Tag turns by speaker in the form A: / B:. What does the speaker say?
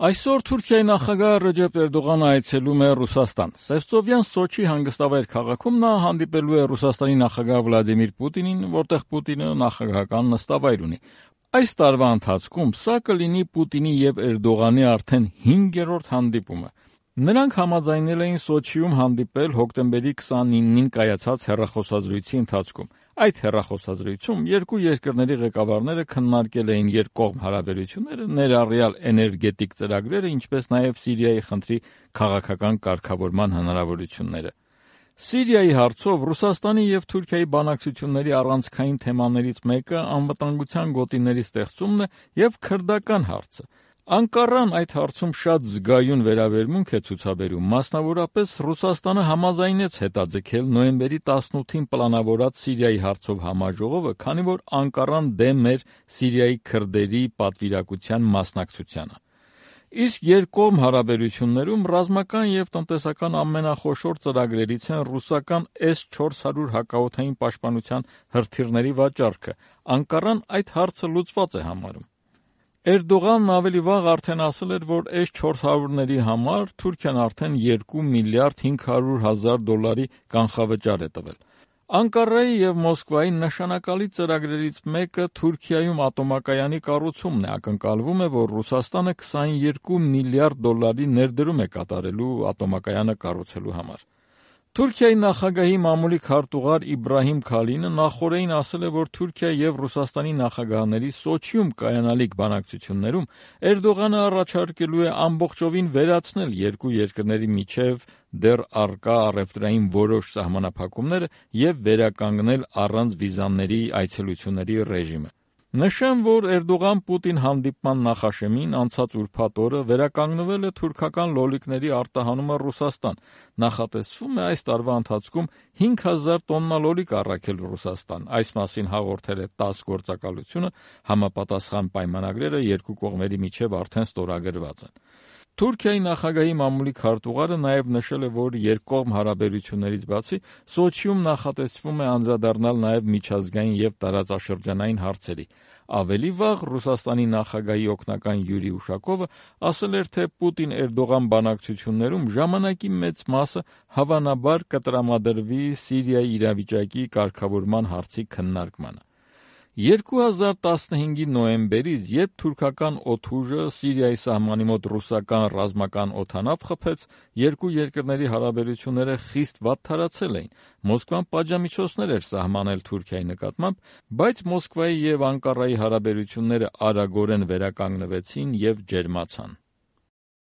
A: Այսօր Թուրքիայի նախագահ Ռեջեփ Էրդողանը այցելում է Ռուսաստան։ Սևծովյան Սոչի հանգստավայր քաղաքում նա հանդիպելու է Ռուսաստանի նախագահ Վլադիմիր Պուտինին, որտեղ Պուտինը նախագահական նստավայր ունի։ Այս տարվա ընթացքում սա կլինի Պուտինի եւ Էրդողանի արդեն 5-րդ հանդիպումը։ Նրանք համաձայնել էին Սոչիում հանդիպել հոկտեմբերի 29-ին կայացած հեռախոսազրույցի ընթացքում։ Այդ հեռախոսազրույցում երկու երկրների ղեկավարները քննարկել էին երկկողմ հարաբերությունները, ներառյալ էներգետիկ ծրագրերը, ինչպես նաև Սիրիայի խնդրի քաղաքական կարգավորման հնարավորությունները։ Սիրիայի հարցով Ռուսաստանի եւ Թուրքիայի բանակցությունների առանցքային թեմաներից մեկը անվտանգության գոտիների ստեղծումն է եւ քրդական հարցը։ Անկառան այդ հարցում շատ զգայուն վերաբերմունք է ցուցաբերում, մասնավորապես Ռուսաստանը համաձայնեց հետաձգել նոյեմբերի 18-ին պլանավորած Սիրիայի հարցով համաժողովը, քանի որ Անկառան դեմ էր Սիրիայի քրդերի պատվիրակության մասնակցությանը։ Իսկ երկկողմ հարաբերություններում ռազմական եւ տնտեսական ամենախոշոր ծրագրերից են ռուսական S-400 հակաօդային պաշտպանության հրթիռների վաճառքը։ Անկառան այդ հարցը լուծված է համարում։ Էրդողանն ավելի վաղ արդեն ասել էր, որ S-400-ների համար Թուրքիան արդեն 2 միլիարդ 500 հազար դոլարի կանխավճար է տվել։ Անկարայի եւ Մոսկվայի նշանակալի ծրագրերից մեկը Թուրքիայում ատոմակայանի կառուցումն է։ Ակնկալվում է, որ Ռուսաստանը 22 միլիարդ դոլարի ներդրում է կատարելու ատոմակայանը կառուցելու համար։ Թուրքիայի նախագահի մամուլի քարտուղար Իբրահիմ Քալինը նախորդին ասել է, որ Թուրքիա եւ Ռուսաստանի նախագահների Սոչիում կայանալիք բանակցություններում Էրդողանը առաջարկելու է ամբողջովին վերացնել երկու երկրների միջև դեռ առկա առևտրային որոշ սահմանափակումները եւ վերականգնել առանց վիզաների այցելությունների ռեժիմը։ Նշեմ, որ Էրդողան-Պուտին հանդիպման նախաշեմին անցած ուրբաթ օրը վերականգնվել է թուրքական լոլիկների արտահանումը Ռուսաստան։ Նախատեսվում է այս տարվա ընթացքում 5000 տոննա լոլիկ առաքել Ռուսաստան։ Այս մասին հաղորդել է ՏԱՍՍ գործակալությունը, համապատասխան պայմանագրերը երկու կողմերի միջև արդեն ստորագրված են։ Թուրքիայի նախագահի մամուլի քարտուղարը նաև նշել է, որ երկկողմ հարաբերություններից բացի Սոչիում նախատեսվում է անդրադառնալ նաև միջազգային եւ տարածաշրջանային հարցերի։ Ավելի վաղ Ռուսաստանի նախագահի օգնական Յուրի Ուշակովը ասել էր, թե Պուտին-Էրդողան բանակցություններում ժամանակի մեծ մասը հավանաբար կտրամադրվի Սիրիայի իրավիճակի կարգավորման հարցի քննարկմանը։ 2015-ի նոյեմբերից, երբ թուրքական օդուժը Սիրիայի սահմանի մոտ ռուսական ռազմական օդանավ խփեց, երկու երկրների հարաբերությունները խիստ վատթարացել էին։ Մոսկվան պատժամիջոցներ էր սահմանել Թուրքիայի նկատմամբ, բայց Մոսկվայի եւ Անկարայի հարաբերությունները արագորեն վերականգնվեցին եւ ջերմացան։